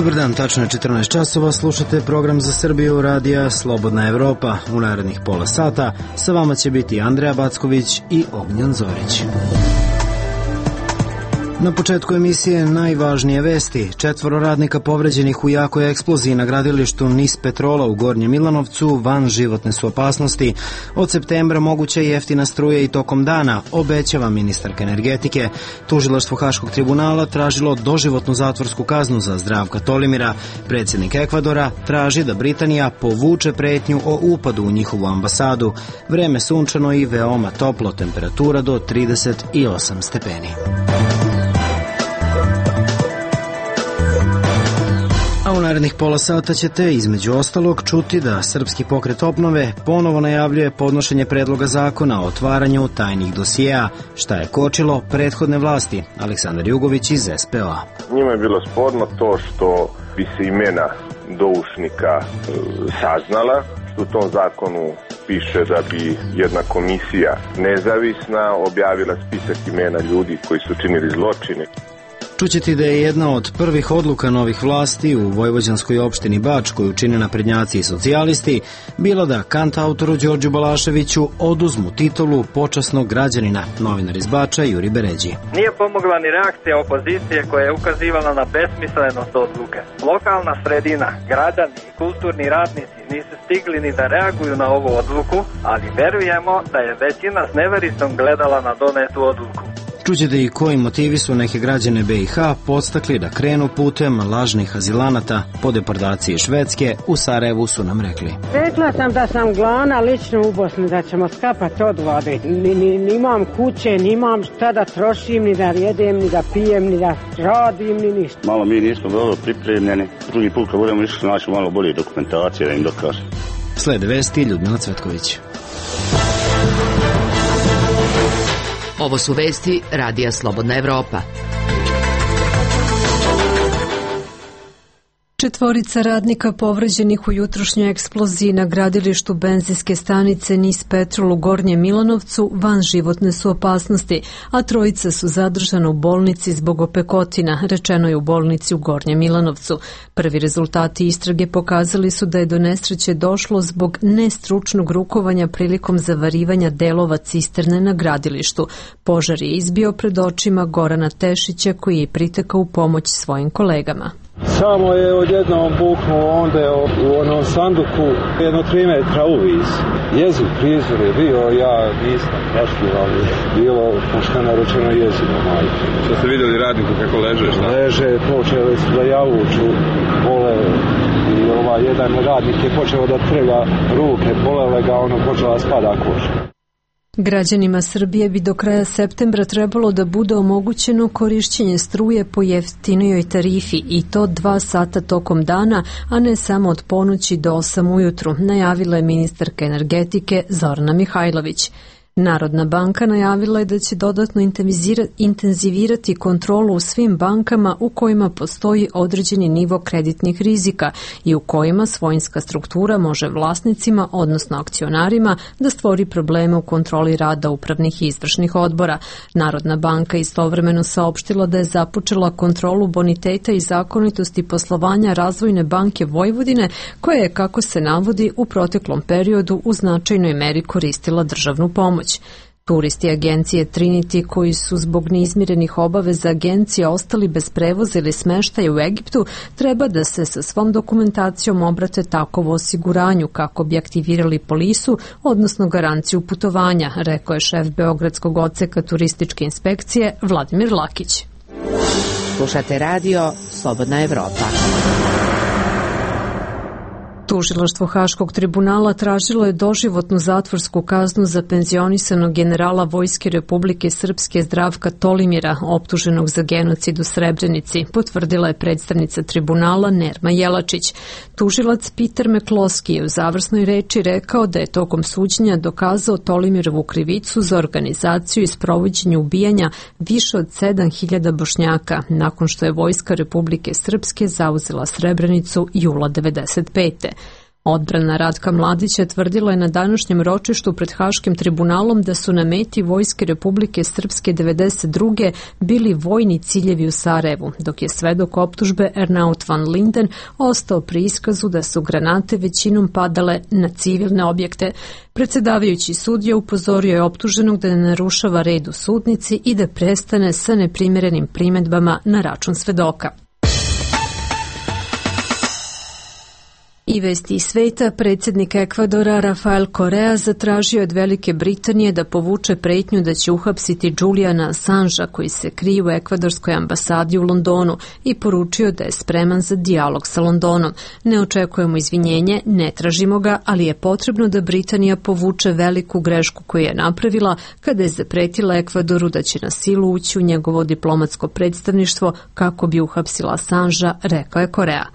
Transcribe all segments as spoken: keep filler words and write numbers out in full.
Dobar dan, tačno je četrnaest časova, slušate program za Srbiju radija Slobodna Evropa. U narednih pola sata sa vama će biti Andreja Backović i Ognjan Zorić. Na početku emisije najvažnije vesti. Četvoro radnika povređenih u jakoj eksploziji na gradilištu Nis Petrola u Gornjem Milanovcu van životne su opasnosti. Od septembra moguća je jeftina struja i tokom dana, obećava ministarka energetike. Tužilaštvo Haškog tribunala tražilo doživotnu zatvorsku kaznu za Zdravka Tolimira. Predsjednik Ekvadora traži da Britanija povuče pretnju o upadu u njihovu ambasadu. Vreme sunčano i veoma toplo, temperatura do trideset osam stepeni. A u narednih pola sata ćete između ostalog čuti da Srpski pokret obnove ponovo najavljuje podnošenje predloga zakona o otvaranju tajnih dosijeja, šta je kočilo prethodne vlasti. Aleksandar Jugović iz S P O A. Njima je bilo sporno to što bi se imena doušnika e, saznala. U tom zakonu piše da bi jedna komisija nezavisna objavila spisak imena ljudi koji su činili zločine. Čućete da je jedna od prvih odluka novih vlasti u vojvođanskoj opštini Bač, koju čine naprednjaci i socijalisti, bilo da kantautoru Đorđu Balaševiću oduzmu titulu počasnog građanina. Novinar iz Bača Juri Beređi. Nije pomogla ni reakcija opozicije koja je ukazivala na besmislenost odluke. Lokalna sredina, građani i kulturni radnici nisu stigli ni da reaguju na ovu odluku, ali verujemo da je većina s nevericom gledala na donetu odluku. Čućete i koji motivi su neke građane B i H podstakli da krenu putem lažnih azilanata po deportaciji Švedske. U Sarajevu su nam rekli. Rekla sam da sam glavna lično u Bosni, da ćemo skapati od vode. Ni, ni, ni imam kuće, ni imam šta da trošim, ni da jedem, ni da pijem, ni da radim, ni ništa. Malo mi nismo dobro pripremljeni. Drugi put kad budemo išli naći malo bolje dokumentacije da im dokažem. Slede vesti Ljudmila Cvetković. Ovo su vesti radija Slobodna Evropa. Četvorica radnika povređenih u jutrošnjoj eksploziji na gradilištu benzinske stanice Nis Petrol u Gornjem Milanovcu van životne su opasnosti, a trojica su zadržana u bolnici zbog opekotina, rečeno je u bolnici u Gornjem Milanovcu. Prvi rezultati istrage pokazali su da je do nesreće došlo zbog nestručnog rukovanja prilikom zavarivanja delova cisterne na gradilištu. Požar je izbio pred očima Gorana Tešića, koji je pritekao u pomoć svojim kolegama. Samo je odjednom buknuo onda u onom sanduku jedno tri metra uvis. Jezik, prizor je bio, ja nisam prašljiv, ali bilo pošteno rečeno jezino, majke. Što ste vidjeli radniku kako leže, šta? Leže, počeli su da javuču, bole i ovaj jedan radnik je počeo da trlja ruke, bolele ga, ono počela spada koža. Građanima Srbije bi do kraja septembra trebalo da bude omogućeno korišćenje struje po jeftinijoj tarifi i to dva sata tokom dana, a ne samo od ponoći do osam ujutru, najavila je ministarka energetike Zorana Mihajlović. Narodna banka najavila je da će dodatno intenzivirati kontrolu u svim bankama u kojima postoji određeni nivo kreditnih rizika i u kojima svojinska struktura može vlasnicima, odnosno akcionarima, da stvori probleme u kontroli rada upravnih i izvršnih odbora. Narodna banka istovremeno saopštila da je započela kontrolu boniteta i zakonitosti poslovanja Razvojne banke Vojvodine, koja je, kako se navodi, u proteklom periodu u značajnoj meri koristila državnu pomoć. Turisti agencije Trinity koji su zbog neizmirenih obaveza agencije ostali bez prevoza ili smeštaja u Egiptu treba da se sa svom dokumentacijom obrate takovo osiguranju kako bi aktivirali polisu, odnosno garanciju putovanja, rekao je šef Beogradskog odseka turističke inspekcije Vladimir Lakić. Slušate radio Slobodna Evropa. Tužilaštvo Haškog tribunala tražilo je doživotnu zatvorsku kaznu za penzionisanog generala Vojske Republike Srpske Zdravka Tolimira, optuženog za genocid u Srebrenici, potvrdila je predstavnica tribunala Nerma Jelačić. Tužilac Peter Mekloski je u završnoj reči rekao da je tokom suđenja dokazao Tolimirovu krivicu za organizaciju i sprovođenje ubijanja više od sedam hiljada Bošnjaka, nakon što je Vojska Republike Srpske zauzela Srebrenicu jula devedeset pete. Odbrana Ratka Mladića tvrdila je na današnjem ročištu pred Haškim tribunalom da su na meti Vojske Republike Srpske devedeset druge bili vojni ciljevi u Sarajevu, dok je svedok optužbe Ernaut van Linden ostao pri iskazu da su granate većinom padale na civilne objekte. Predsjedavajući sudija upozorio je optuženog da ne narušava red u sudnici i da prestane sa neprimjerenim primedbama na račun svedoka. I vesti iz sveta, predsjednik Ekvadora Rafael Correa zatražio od Velike Britanije da povuče pretnju da će uhapsiti Juliana Assangea koji se krije u ekvadorskoj ambasadi u Londonu i poručio da je spreman za dijalog sa Londonom. Ne očekujemo izvinjenje, ne tražimo ga, ali je potrebno da Britanija povuče veliku grešku koju je napravila kada je zapretila Ekvadoru da će na silu ući u njegovo diplomatsko predstavništvo kako bi uhapsila Assangea, rekao je Correa.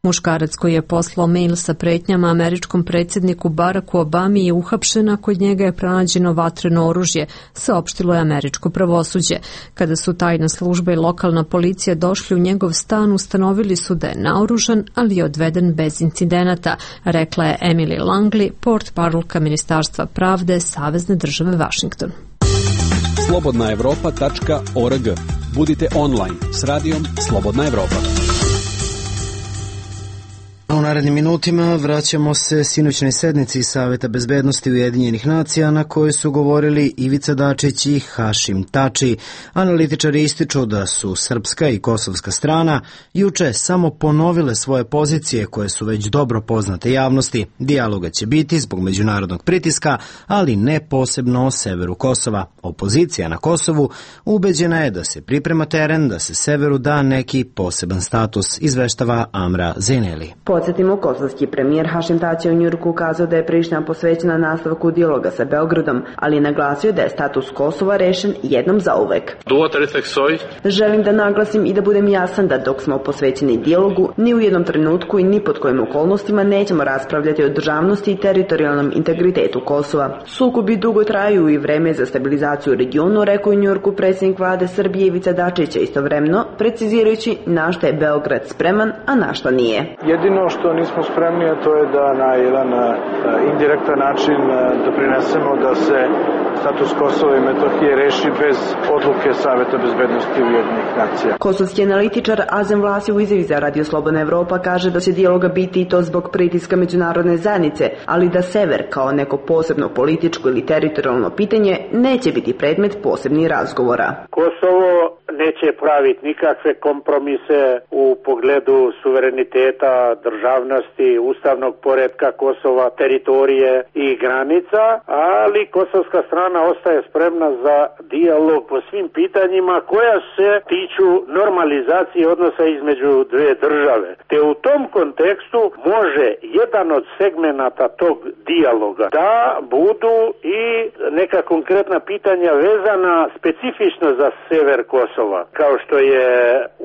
Muškarac koji je poslao mail sa pretnjama američkom predsjedniku Baracku Obami je uhapšen, a kod njega je pronađeno vatreno oružje, saopštilo je američko pravosuđe. Kada su tajna služba i lokalna policija došli u njegov stan, ustanovili su da je naoružan, ali je odveden bez incidenata, rekla je Emily Langley, portparolka Ministarstva pravde Savezne države Vašington. slobodna evropa tačka org. Budite online s radijom Slobodna Evropa. U narednim minutima vraćamo se sinoćnoj sednici Saveta bezbednosti Ujedinjenih nacija na kojoj su govorili Ivica Dačić i Hašim Tači. Analitičari ističu da su srpska i kosovska strana juče samo ponovile svoje pozicije koje su već dobro poznate javnosti. Dijaloga će biti zbog međunarodnog pritiska, ali ne posebno o severu Kosova. Opozicija na Kosovu ubeđena je da se priprema teren da se severu da neki poseban status, izveštava Amra Zeneli. Podsjetimo, kosovski premijer Hašim Tači u Njujorku ukazao da je Priština posvećena nastavku dijaloga sa Beogradom, ali je naglasio da je status Kosova rešen jednom zauvek. Želim da naglasim i da budem jasan da dok smo posvećeni dijalogu, ni u jednom trenutku i ni pod kojim okolnostima nećemo raspravljati o državnosti i teritorijalnom integritetu Kosova. Sukobi dugo traju i vreme za stabilizaciju u regionu, rekao u Njujorku predsjednik vlade Srbije Ivica Dačić, istovremeno precizirajući na šta je Beograd spreman, a na šta nije. Jedino što nismo spremni, a to je da na jedan indirektan način doprinesemo da se status Kosova i Metohije reši bez odluke Saveta bezbednosti Ujedinjenih nacija. Kosovski analitičar Azem Vlasi u izjavi za Radio Slobodna Evropa kaže da će dijaloga biti i to zbog pritiska međunarodne zajednice, ali da sever kao neko posebno političko ili teritorijalno pitanje neće biti predmet posebnih razgovora. Kosovo neće praviti nikakve kompromise u pogledu suvereniteta, državnosti, ustavnog poretka Kosova, teritorije i granica, ali kosovska strana ostaje spremna za dijalog po svim pitanjima koja se tiču normalizacije odnosa između dve države. Te u tom kontekstu može jedan od segmenata tog dijaloga da budu i neka konkretna pitanja vezana specifično za sever Kosova, kao što je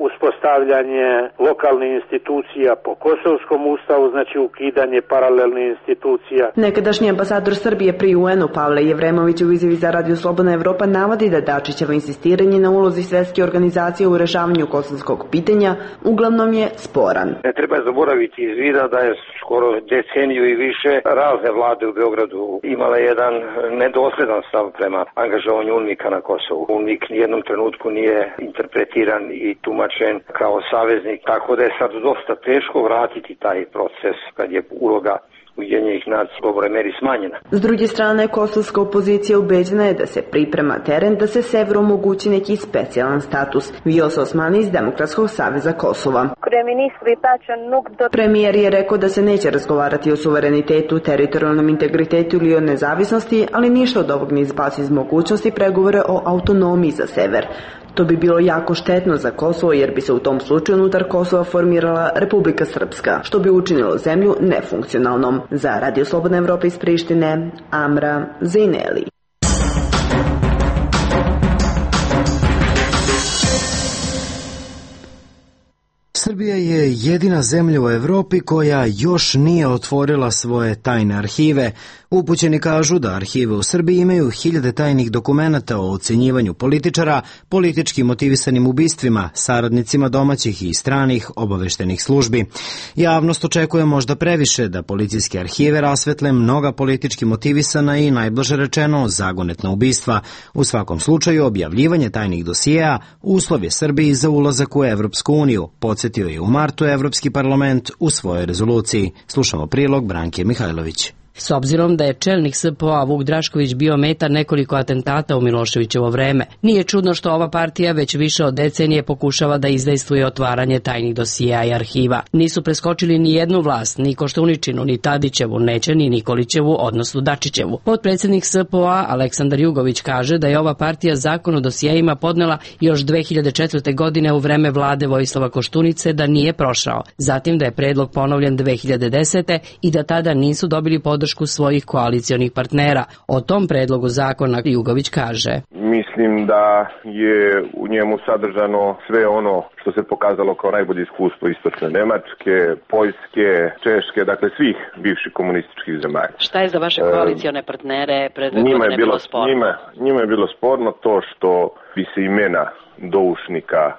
uspostavljanje lokalnih institucija po kosovskom ustavu, znači ukidanje paralelnih institucija. Nekadašnji ambasador Srbije pri U N-u Pavle Jevremović u izjavi za Radio Slobodna Evropa navodi da Dačićevo insistiranje na ulozi Svetske organizacije u rešavanju kosovskog pitanja uglavnom je sporan. Ne treba zaboraviti iz vida da je skoro deceniju i više razne vlade u Beogradu imala jedan nedosledan stav prema angažovanju UNMIK-a na Kosovu. UNMIK nijednom trenutku nije interpretiran i tumačen kao saveznik, tako da je sad dosta teško vratiti taj proces kad je uloga Ujedinjenih nacija u dobroj meri smanjena. S druge strane, kosovska opozicija ubeđena je da se priprema teren da se severu omogući neki specijalan status. Vijos Osmani iz Demokratskog saveza Kosova. Premijer je rekao da se neće razgovarati o suverenitetu, teritorijalnom integritetu ili o nezavisnosti, ali ništa od ovog ne izbaci iz mogućnosti pregovore o autonomiji za sever. To bi bilo jako štetno za Kosovo jer bi se u tom slučaju unutar Kosova formirala Republika Srpska, što bi učinilo zemlju nefunkcionalnom. Za Radio Slobodna Evropa iz Prištine, Amra Zeneli. Srbija je jedina zemlja u Evropi koja još nije otvorila svoje tajne arhive. Upućeni kažu da arhive u Srbiji imaju hiljade tajnih dokumenata o ocenjivanju političara, politički motivisanim ubistvima, saradnicima domaćih i stranih obaveštenih službi. Javnost očekuje možda previše da policijske arhive rasvetle mnoga politički motivisana i najblaže rečeno zagonetna ubistva. U svakom slučaju objavljivanje tajnih dosijeja uslov je Srbiji za ulazak u Evropsku uniju, podsjetio je u martu Evropski parlament u svojoj rezoluciji. Slušamo prilog Branke Mihajlović. S obzirom da je čelnik S P O-a Vuk Drašković bio meta nekoliko atentata u Miloševićevo vreme, nije čudno što ova partija već više od decenije pokušava da izdejstvuje otvaranje tajnih dosijeja i arhiva. Nisu preskočili ni jednu vlast, ni Koštuničinu, ni Tadićevu, neće ni Nikolićevu, odnosno Dačićevu. Potpredsjednik S P O-a Aleksandar Jugović kaže da je ova partija zakon o dosijejima podnela još dve hiljade četvrte. godine u vreme vlade Vojislava Koštunice, da nije prošao. Zatim da je predlog ponovljen dve hiljade desete. i da tada nisu dobili podršku svojih koalicionih partnera. O tom predlogu zakona Jugović kaže: Mislim da je u njemu sadržano sve ono što se pokazalo kao najbolje iskustvo istočne Nemačke, Poljske, Češke, dakle svih bivših komunističkih zemalja. Šta je za vaše koalicione partnere pred dve godine bilo sporno? Njima, njima je bilo sporno to što bi se imena doušnika e,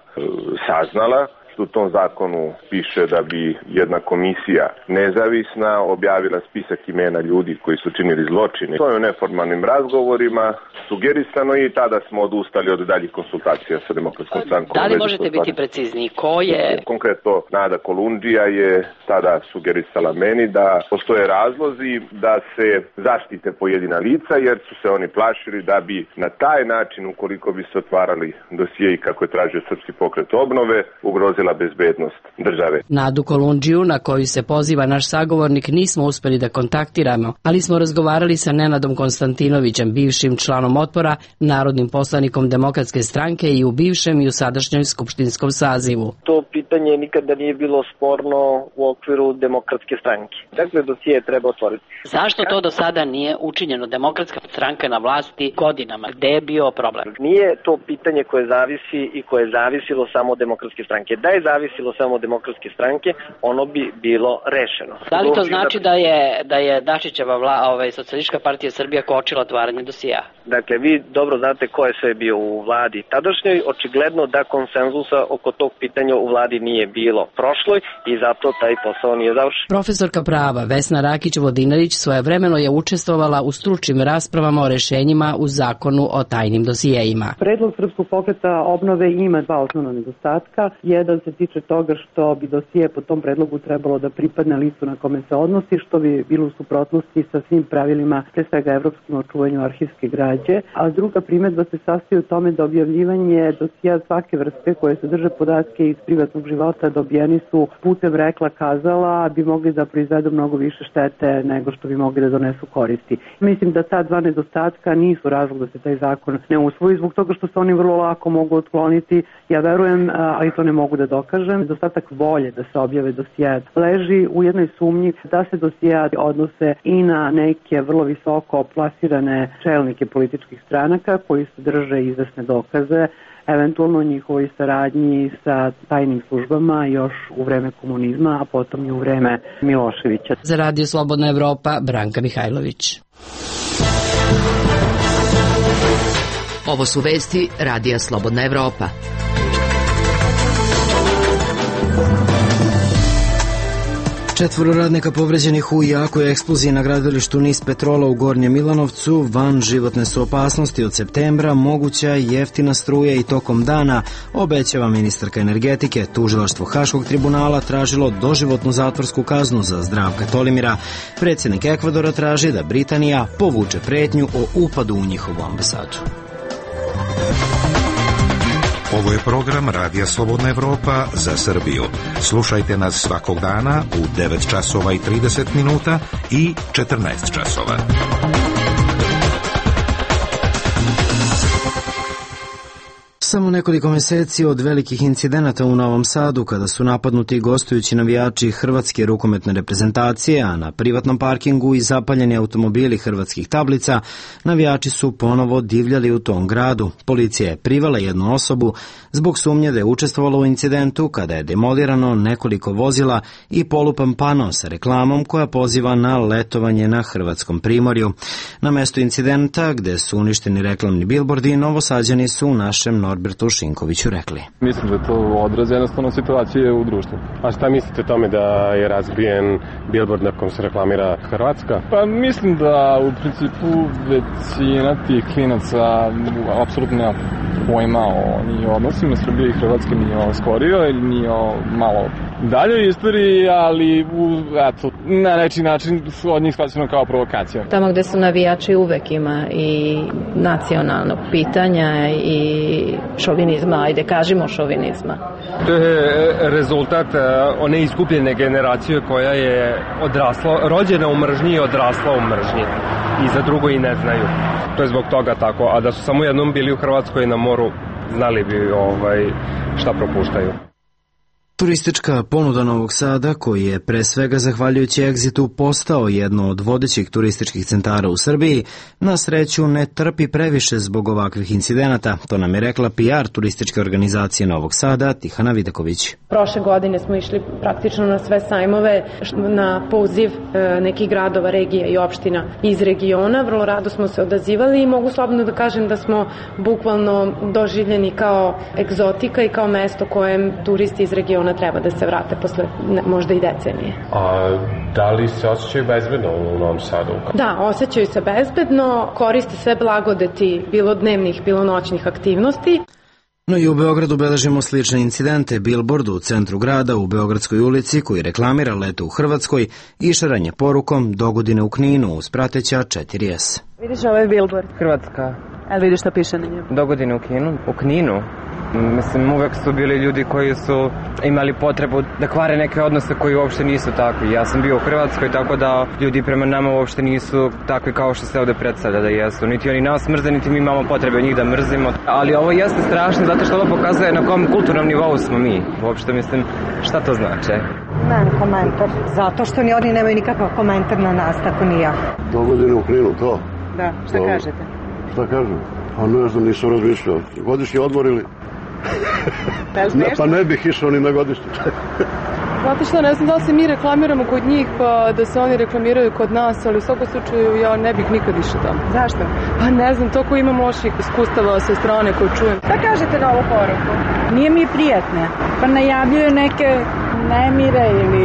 saznala. U tom zakonu piše da bi jedna komisija nezavisna objavila spisak imena ljudi koji su činili zločine. To je u neformalnim razgovorima sugerisano i tada smo odustali od daljih konsultacija sa Demokratskom strankom. Da li možete biti precizniji? Ko je? Konkretno Nada Kolundžija je tada sugerisala meni da postoje razlozi da se zaštite pojedina lica, jer su se oni plašili da bi na taj način, ukoliko bi se otvarali dosijeji kako je tražio Srpski pokret obnove, ugrozili bezbednost države. Nadu Kolundžiju, na koju se poziva naš sagovornik, nismo uspeli da kontaktiramo, ali smo razgovarali sa Nenadom Konstantinovićem, bivšim članom Otpora, narodnim poslanikom Demokratske stranke i u bivšem i u sadašnjoj skupštinskom sazivu. To pitanje nikada nije bilo sporno u okviru Demokratske stranke. Dakle, dosije treba otvoriti. Zašto to do sada nije učinjeno? Demokratska stranka na vlasti godinama. Gde je bio problem? Nije to pitanje koje zavisi i koje je zavisilo samo od Demokratske stranke. Da je zavisilo samo od Demokratske stranke, ono bi bilo rešeno. Da li to znači da je da je Dačićeva vla, ovaj Socijalistička partija Srbija kočila otvaranje dosija? Dakle, vi dobro znate ko je sve bio u vladi tadašnjoj, očigledno da konsenzusa oko tog pitanja u vladi nije bilo prošloj i zato taj posao nije završen. Profesorka prava Vesna Rakić-Vodinarić svojevremeno je učestvovala u stručnim raspravama o rešenjima u zakonu o tajnim dosijejima. Predlog Srpskog pokreta obnove ima dva osnovna nedostatka. Jedan se tiče toga što bi dosije po tom predlogu trebalo da pripadne listu na kome se odnosi, što bi bilo u suprotnosti sa svim pravilima, pre svega evropskim, o čuvanju arhivske građe. A druga primedba se sastoji u tome da objavljivanje dosija svake vrste koje sadrže podatke iz privatnog života dobijeni su putem rekla kazala, bi mogli da proizvedu mnogo više štete nego što bi mogli da donesu koristi. Mislim da ta dva nedostatka nisu razlog da se taj zakon ne usvoji, zbog toga što se oni vrlo lako mogu otkloniti. Ja verujem, ali to ne mogu da dokažem, nedostatak volje da se objave dosije leži u jednoj sumnji da se dosije odnose i na neke vrlo visoko plasirane čelnike političkih stranaka koji se drže izvesne dokaze, eventualno njihovoj saradnji sa tajnim službama još u vreme komunizma, a potom i u vreme Miloševića. Za Radio Slobodna Evropa, Branka Mihajlović. Ovo su vesti Radija Slobodna Evropa. Četvoro radnika povređenih u jakoj eksploziji na gradilištu Nis Petrola u Gornjem Milanovcu. Van životne su opasnosti od septembra, moguća jeftina struja i tokom dana, obećava ministarka energetike. Tužilaštvo Haškog tribunala tražilo doživotnu zatvorsku kaznu za Zdravka Tolimira. Predsjednik Ekvadora traži da Britanija povuče pretnju o upadu u njihovu ambasadu. Ovo je program Radija Slobodna Evropa za Srbiju. Slušajte nas svakog dana u devet časova i trideset minuta i četrnaest časova. Samo nekoliko meseci od velikih incidenata u Novom Sadu, kada su napadnuti gostujući navijači hrvatske rukometne reprezentacije, a na privatnom parkingu i zapaljeni automobili hrvatskih tablica, navijači su ponovo divljali u tom gradu. Policija je privala jednu osobu zbog sumnje da je učestvovala u incidentu kada je demolirano nekoliko vozila i polupan pano sa reklamom koja poziva na letovanje na hrvatskom primorju. Na mestu incidenta, gde su uništeni reklamni bilbordi, Novosađani su u našem Norbertu Šinkoviću rekli. Mislim da je to odraz jednostavno situacije u društvu. A šta mislite o tome da je razbijen bilbord na kom se reklamira Hrvatska? Pa mislim da u principu većina tih klinaca apsolutno nema pojma o ni odnosima Srbije i Hrvatske, ni o skorio ili ni o malo daljoj istoriji, ali u, eto, na neki način od njih shvaćeno kao provokacija. Tamo gde su navijači uvek ima i nacionalnog pitanja i šovinizma, ajde kažemo šovinizma. To je rezultat one iskupljene generacije koja je odrasla, rođena u mržnji i odrasla u mržnji. I za drugo i ne znaju. To je zbog toga tako. A da su samo jednom bili u Hrvatskoj na moru, znali bi ovaj, šta propuštaju. Turistička ponuda Novog Sada, koji je pre svega zahvaljujući Egzitu postao jedno od vodećih turističkih centara u Srbiji, na sreću ne trpi previše zbog ovakvih incidenata. To nam je rekla P R turističke organizacije Novog Sada, Tihana Vidaković. Prošle godine smo išli praktično na sve sajmove na poziv nekih gradova, regija i opština iz regiona. Vrlo rado smo se odazivali i mogu slobodno da kažem da smo bukvalno doživljeni kao egzotika i kao mesto kojem turisti iz regiona treba da se vrate posle možda i decenije. A da li se osjećaju bezbedno u Novom Sadu? Da, osjećaju se bezbedno, koriste sve blagodeti bilo dnevnih, bilo noćnih aktivnosti. No i u Beogradu beležimo slične incidente. Bilbord u centru grada u Beogradskoj ulici koji reklamira leto u Hrvatskoj i šaranje porukom dogodine u Kninu uz prateća četiri S. Vidiš ovaj bilbord? Hrvatska. Ali vidiš šta piše na njemu? Dogodine u Kninu. U Kninu? Mislim, uvek su bili ljudi koji su imali potrebu da kvare neke odnose koji uopšte nisu takvi. Ja sam bio u Hrvatskoj, tako da ljudi prema nama uopšte nisu takvi kao što se ovde predstavlja da jesu. Niti oni nas mrze, niti mi imamo potrebe njih da mrzimo. Ali ovo jeste strašno zato što ovo pokazuje na kom kulturnom nivou smo mi. Uopšte, mislim, šta to znači? Nemam komentar. Zato što ni oni nemaju nikakav komentar na nas, tako ni ja. Dogodine u Kninu, to? Da, šta to kažete? Šta kažem? Pa ne znam, nisam razmišljao. Godišnji odmor ili? Ne, pa ne bih išao ni na godišnji. Znate šta, ne znam da li se mi reklamiramo kod njih, pa da se oni reklamiraju kod nas, ali u svakom slučaju ja ne bih nikad išao tamo. Zašto? Pa ne znam, to ko imam loših iskustava sa strane koju čujem. Šta kažete na ovu poruku? Nije mi prijatne, pa najavljuju neke nemire ili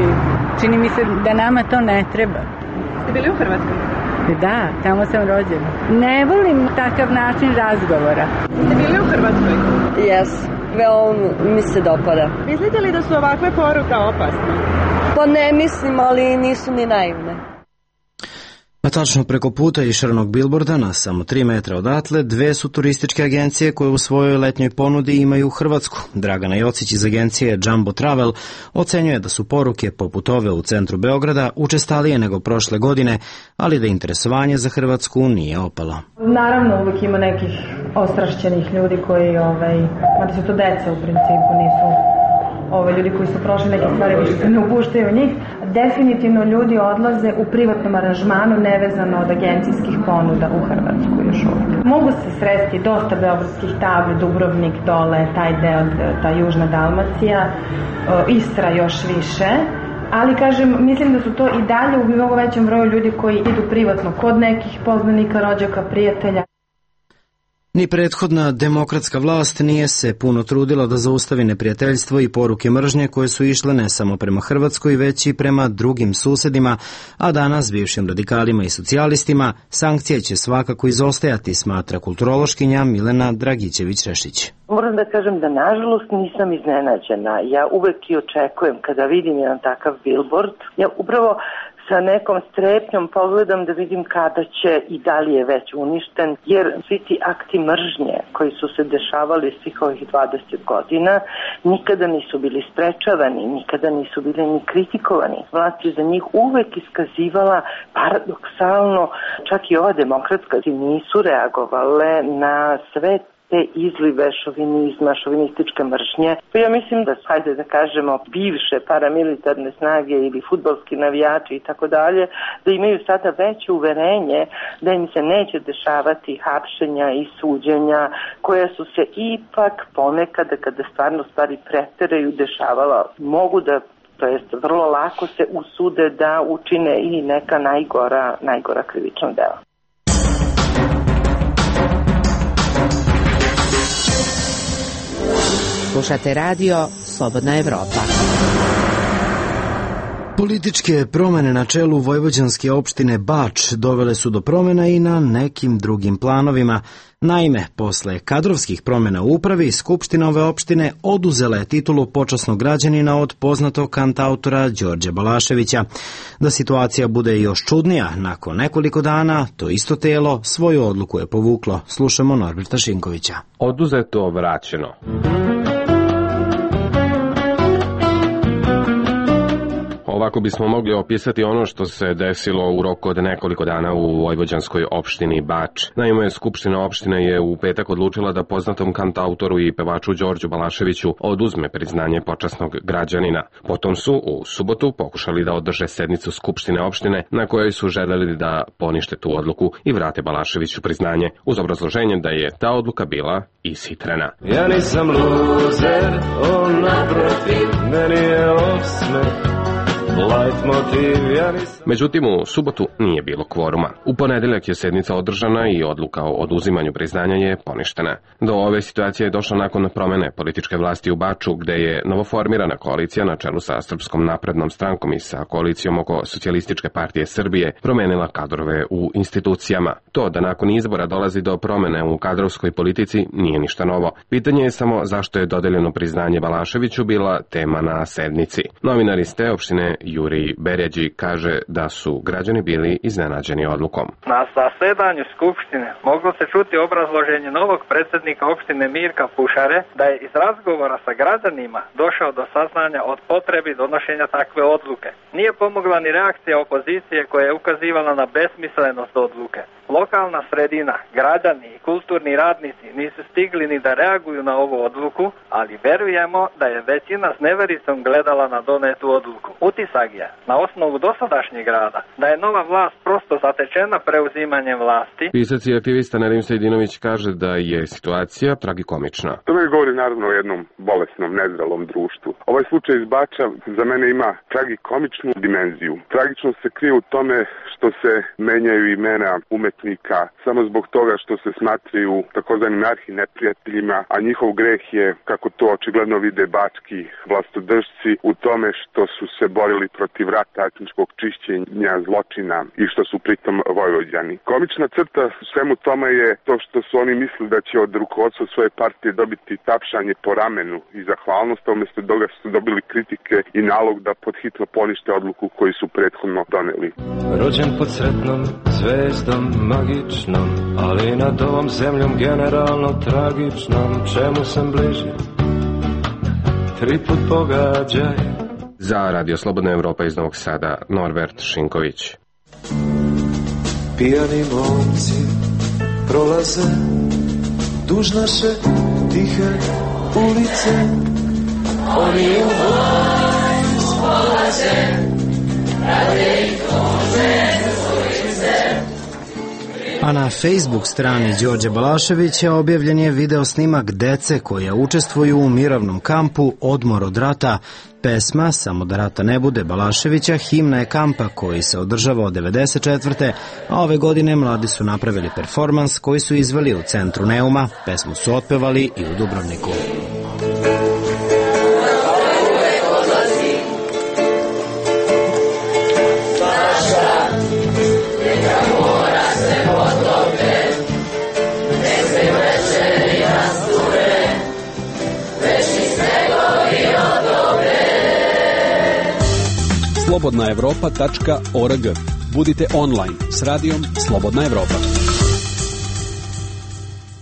čini mi se da nama to ne treba. Ste bili u Hrvatskoj? Da, tamo sam rođena. Ne volim takav način razgovora. Ste bili u Hrvatskoj? Jes, veoma mi se dopada. Mislite li da su ovakve poruke opasne? Pa ne mislim, ali nisu ni naivne. A tačno preko puta išaranog bilborda na samo tri metra odatle dve su turističke agencije koje u svojoj letnjoj ponudi imaju Hrvatsku. Dragana Jocić iz agencije Jumbo Travel ocenjuje da su poruke poput ove u centru Beograda učestalije nego prošle godine, ali da interesovanje za Hrvatsku nije opalo. Naravno, uvijek ima nekih ostrašćenih ljudi koji, ovaj, mada su to deca u principu, nisu ove ljudi koji su prošli neke stvari, više se ne upuštaju u njih. Definitivno ljudi odlaze u privatnom aranžmanu nevezano od agencijskih ponuda u Hrvatsku još uvijek. Mogu se sresti dosta beogradskih tabli, Dubrovnik dole, taj deo, ta južna Dalmacija, Istra još više, ali kažem, mislim da su to i dalje u mnogo većem broju ljudi koji idu privatno kod nekih poznanika, rođaka, prijatelja. Ni prethodna demokratska vlast nije se puno trudila da zaustavi neprijateljstvo i poruke mržnje koje su išle ne samo prema Hrvatskoj, već i prema drugim susedima, a danas bivšim radikalima i socijalistima sankcije će svakako izostajati, smatra kulturološkinja Milena Dragićević-Rešić. Moram da kažem da nažalost nisam iznenađena. Ja uvek i očekujem kada vidim jedan takav billboard, ja upravo sa nekom strepnjom pogledam da vidim kada će i da li je već uništen, jer svi ti akti mržnje koji su se dešavali svih ovih dvadeset godina nikada nisu bili sprečavani, nikada nisu bili ni kritikovani. Vlast je za njih uvek iskazivala paradoksalno, čak i ova demokratska, nisu reagovale na sve te izlive šovinizma, šovinističke mržnje. Pa ja mislim da, hajde da kažemo, bivše paramilitarne snage ili fudbalski navijači i tako dalje, da imaju sada veće uverenje da im se neće dešavati hapšenja i suđenja koja su se ipak ponekada, kada stvarno stvari preteraju, dešavala. Mogu da, to jest vrlo lako se usude da učine i neka najgora, najgora krivična dela. Slušate radio Slobodna Evropa. Političke promene na čelu vojvođanske opštine Bač dovele su do promena i na nekim drugim planovima. Naime, posle kadrovskih promena u upravi, Skupština ove opštine oduzela je titulu počasnog građanina od poznatog kantautora Đorđa Balaševića. Da situacija bude još čudnija, nakon nekoliko dana to isto telo svoju odluku je povuklo. Slušamo Norberta Šinkovića. Oduzeto, vraćeno. Ovako bismo mogli opisati ono što se desilo u roku od nekoliko dana u vojvođanskoj opštini Bač. Naime, Skupština opštine je u petak odlučila da poznatom kantautoru i pevaču Đorđu Balaševiću oduzme priznanje počasnog građanina. Potom su u subotu pokušali da održe sednicu Skupštine opštine na kojoj su želeli da ponište tu odluku i vrate Balaševiću priznanje, uz obrazloženje da je ta odluka bila ishitrena. Ja nisam luzer, on naprotiv, meni je osmeh. Međutim, u subotu nije bilo kvoruma. U ponedeljak je sednica održana i odluka o oduzimanju priznanja je poništena. Do ove situacije je došlo nakon promene političke vlasti u Baču, gde je novoformirana koalicija na čelu sa Srpskom naprednom strankom i sa koalicijom oko Socijalističke partije Srbije promenila kadrove u institucijama. To da nakon izbora dolazi do promene u kadrovskoj politici nije ništa novo. Pitanje je samo zašto je dodeljeno priznanje Balaševiću bila tema na sednici. Novinar iz te opštine Jurij Berjađi kaže da su građani bili iznenađeni odlukom. Na zasedanju Skupštine moglo se čuti obrazloženje novog predsjednika opštine Mirka Pušare da je iz razgovora sa građanima došao do saznanja od potrebi donošenja takve odluke. Nije pomogla ni reakcija opozicije koja je ukazivala na besmislenost odluke. Lokalna sredina, građani i kulturni radnici nisu stigli ni da reaguju na ovu odluku, ali verujemo da je većina s nevericom gledala na donetu odluku. Utisak je, na osnovu dosadašnjeg rada, da je nova vlast prosto zatečena preuzimanjem vlasti. Pisac i aktivista Nedim Sejdinović kaže da je situacija tragikomična. To me govori naravno o jednom bolesnom, nezrelom društvu. Ovaj slučaj iz Bača za mene ima tragikomičnu dimenziju. Tragičnost se krije u tome što se menjaju imena umetnika samo zbog toga što se smatraju takozvanim arhi neprijateljima, a njihov greh je, kako to očigledno vide bački vlastodržci, u tome što su se borili protiv rata, etničkog čišćenja, zločina i što su pritom vojvođani. Komična crta u svemu tome je to što su oni mislili da će od rukovodstva svoje partije dobiti tapšanje po ramenu i zahvalnost, a umjesto toga su dobili kritike i nalog da podhitno ponište odluku koju su prethodno doneli. Rođen pod sretnom zvezdom magičnom, ali nad ovom zemljom generalno tragičnom, čemu sam bliži, tri put pogađaj. Za Radio Slobodna Evropa iz Novog Sada, Norbert Šinković. Pijani momci prolaze duž naše tihe ulice, oni u vojs polaze, rade i tuže ulice. A na Facebook strani Đorđa Balaševića objavljen je video snimak dece koja učestvuju u mirovnom kampu Odmor od rata. Pesma Samo da rata ne bude Balaševića himna je kampa koji se održava od devedeset četvrte. a ove godine mladi su napravili performans koji su izveli u centru Neuma. Pesmu su otpevali i u Dubrovniku. slobodna evropa tačka org. Budite online s radijom Slobodna Evropa.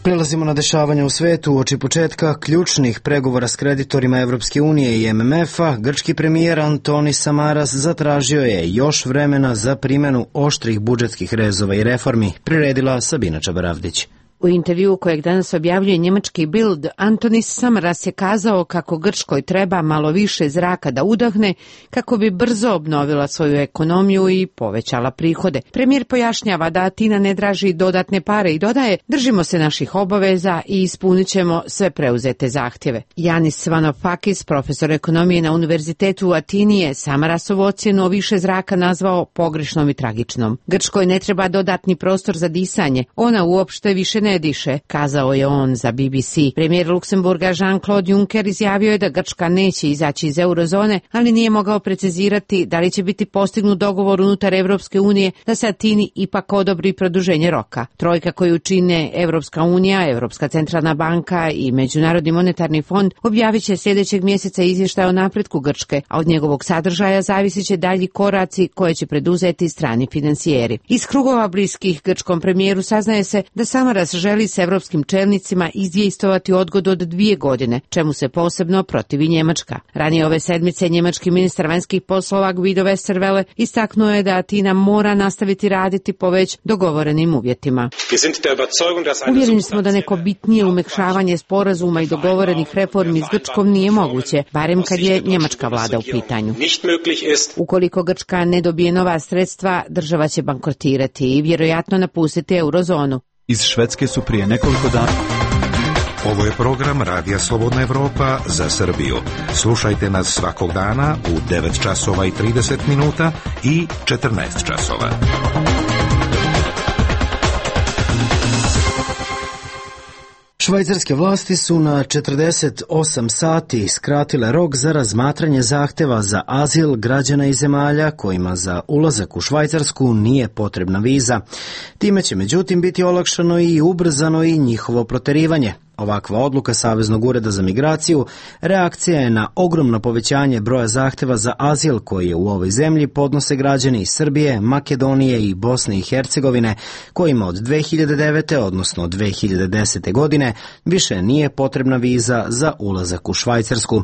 Prelazimo na dešavanja u svetu. Uoči početka ključnih pregovora s kreditorima Evropske unije i M M F-a, grčki premijer Antonis Samaras zatražio je još vremena za primjenu oštrih budžetskih rezova i reformi, priredila Sabina Čabaravdić. U U intervjuu kojeg danas objavljuje njemački Bild, Antonis Samaras je kazao kako Grčkoj treba malo više zraka da udahne kako bi brzo obnovila svoju ekonomiju i povećala prihode. Premijer pojašnjava da Atina ne traži dodatne pare i dodaje: držimo se naših obaveza i ispunit ćemo sve preuzete zahtjeve. Janis Vanofakis, profesor ekonomije na Univerzitetu u Atini, je Samarasovu ocjenu o više zraka nazvao pogrešnom i tragičnom. Grčkoj ne treba dodatni prostor za disanje, ona uopšte više ne diše, kazao je on za B B C. Premijer Luksemburga Jean-Claude Juncker izjavio je da Grčka neće izaći iz eurozone, ali nije mogao precizirati da li će biti postignut dogovor unutar Evropske unije da se Atini ipak odobri produženje roka. Trojka koju čine Evropska unija, Evropska centralna banka i Međunarodni monetarni fond objavit će sljedećeg mjeseca izvještaj o napretku Grčke, a od njegovog sadržaja zavisit će dalji koraci koje će preduzeti strani financijeri. Iz krugova bliskih grčkom premijeru saznaje se da Samaras želi s evropskim čelnicima izdejstvovati odgodu od dvije godine, čemu se posebno protivi Njemačka. Ranije ove sedmice njemački ministar vanjskih poslova Guido Westerwelle istaknuo je da Atina mora nastaviti raditi po već dogovorenim uvjetima. Uvjereni smo da neko bitnije umekšavanje sporazuma i dogovorenih reformi s Grčkom nije moguće, barem kad je njemačka vlada u pitanju. Ukoliko Grčka ne dobije nova sredstva, država će bankrotirati i vjerojatno napustiti eurozonu. Iz Švedske su prije nekoliko dana... Ovo je program Radija Slobodna Evropa za Srbiju. Slušajte nas svakog dana u devet časova i trideset minuta i četrnaest časova. Švajcarske vlasti su na četrdeset osam sati skratile rok za razmatranje zahteva za azil građana iz zemalja kojima za ulazak u Švajcarsku nije potrebna viza. Time će međutim biti olakšano i ubrzano i njihovo proterivanje. Ovakva odluka Saveznog ureda za migraciju reakcija je na ogromno povećanje broja zahteva za azil koji je u ovoj zemlji podnose građani iz Srbije, Makedonije i Bosne i Hercegovine, kojima od dve hiljade devete. odnosno dve hiljade desete. godine više nije potrebna viza za ulazak u Švajcarsku.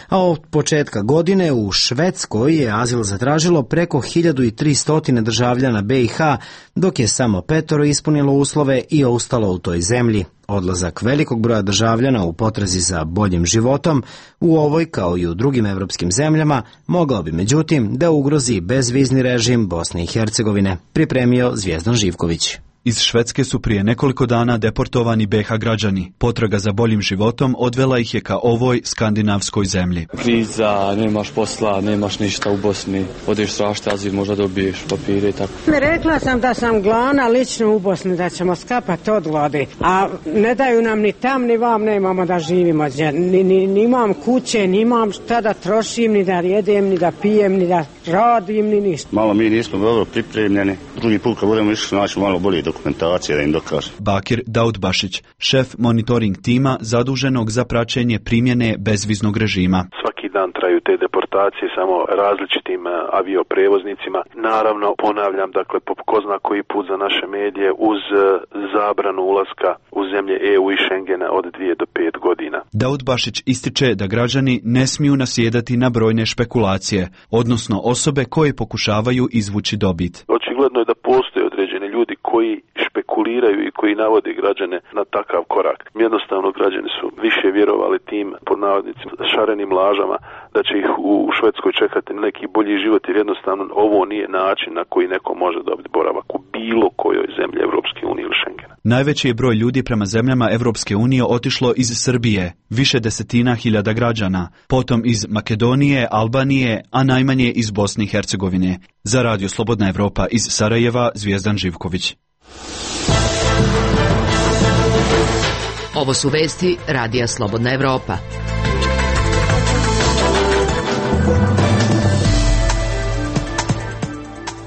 A od početka godine u Švedskoj je azil zatražilo preko hiljadu tristo državljana B i H, dok je samo petoro ispunilo uslove i ostalo u toj zemlji. Odlazak velikog broja državljana u potrazi za boljim životom u ovoj kao i u drugim evropskim zemljama mogao bi međutim da ugrozi bezvizni režim Bosne i Hercegovine, pripremio Zvijezdan Živković. Iz Švedske su prije nekoliko dana deportovani B H građani. Potraga za boljim životom odvela ih je ka ovoj skandinavskoj zemlji. Kriza, nemaš posla, nemaš ništa u Bosni, odeš tražiti azil, možda dobiješ papire i tako. Rekla sam da sam glavna lično u Bosni, da ćemo skapati od gladi, a ne daju nam ni tam ni vam, nemamo da živimo. Ni, ni, ni imam kuće, ni imam šta da trošim, ni da jedem, ni da pijem, ni da radim, ni ništa. Malo mi nismo dobro pripremljeni, drugi put kad budemo išli naći malo bolje dokumentacije da im dokaže. Bakir Daudbašić, šef monitoring tima zaduženog za praćenje primjene bezviznog režima. Svaki dan traju te deportacije samo različitim avioprevoznicima. Naravno, ponavljam, dakle, po ko zna koji put za naše medije uz zabranu ulaska u zemlje E U i Schengena od dvije do pet godina. Daudbašić ističe da građani ne smiju nasjedati na brojne špekulacije, odnosno osobe koje pokušavaju izvući dobit. Očigledno je da postoje određeni ljudi koji špekuliraju i koji navode građane na takav korak. Jednostavno građani su više vjerovali tim pod navodnicima šarenim lažama da će ih u Švedskoj čekati neki bolji život, jer jednostavno ovo nije način na koji neko može dobiti boravak u bilo kojoj zemlji Evropske unije ili Schengena. Najveći je broj ljudi prema zemljama Evropske unije otišlo iz Srbije, više desetina hiljada građana, potom iz Makedonije, Albanije, a najmanje iz Bosne i Hercegovine. Za Radio Slobodna Evropa iz Sarajeva, Zvijezdan Živković. Ovo su vesti Radija Slobodna Evropa.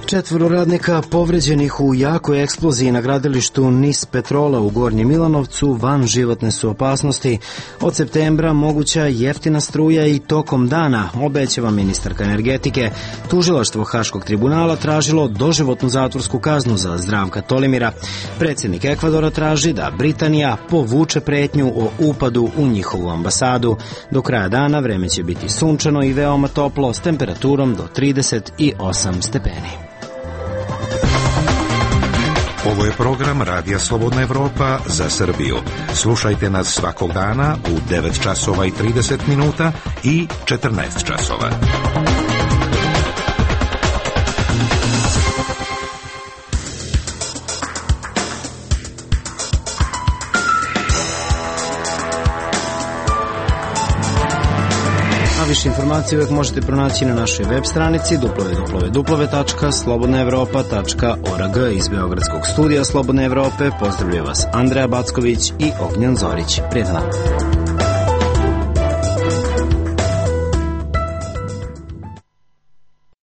Četvoro radnika povređenih u jakoj eksploziji na gradilištu Nis Petrola u Gornjem Milanovcu van životne su opasnosti. Od septembra moguća jeftina struja i tokom dana, obećava ministarka energetike. Tužilaštvo Haškog tribunala tražilo doživotnu zatvorsku kaznu za Zdravka Tolimira. Predsjednik Ekvadora traži da Britanija povuče pretnju o upadu u njihovu ambasadu. Do kraja dana vreme će biti sunčano i veoma toplo s temperaturom do trideset osam stepeni. Ovo je program Radija Slobodna Evropa za Srbiju. Slušajte nas svakog dana u devet časova i trideset minuta i četrnaest časova. Više informacije uvijek možete pronaći na našoj web stranici w w w tačka slobodna evropa tačka org. Iz Beogradskog studija Slobodne Evrope pozdravljaju vas Andreja Backović i Ognjan Zorić. Prijetan dan.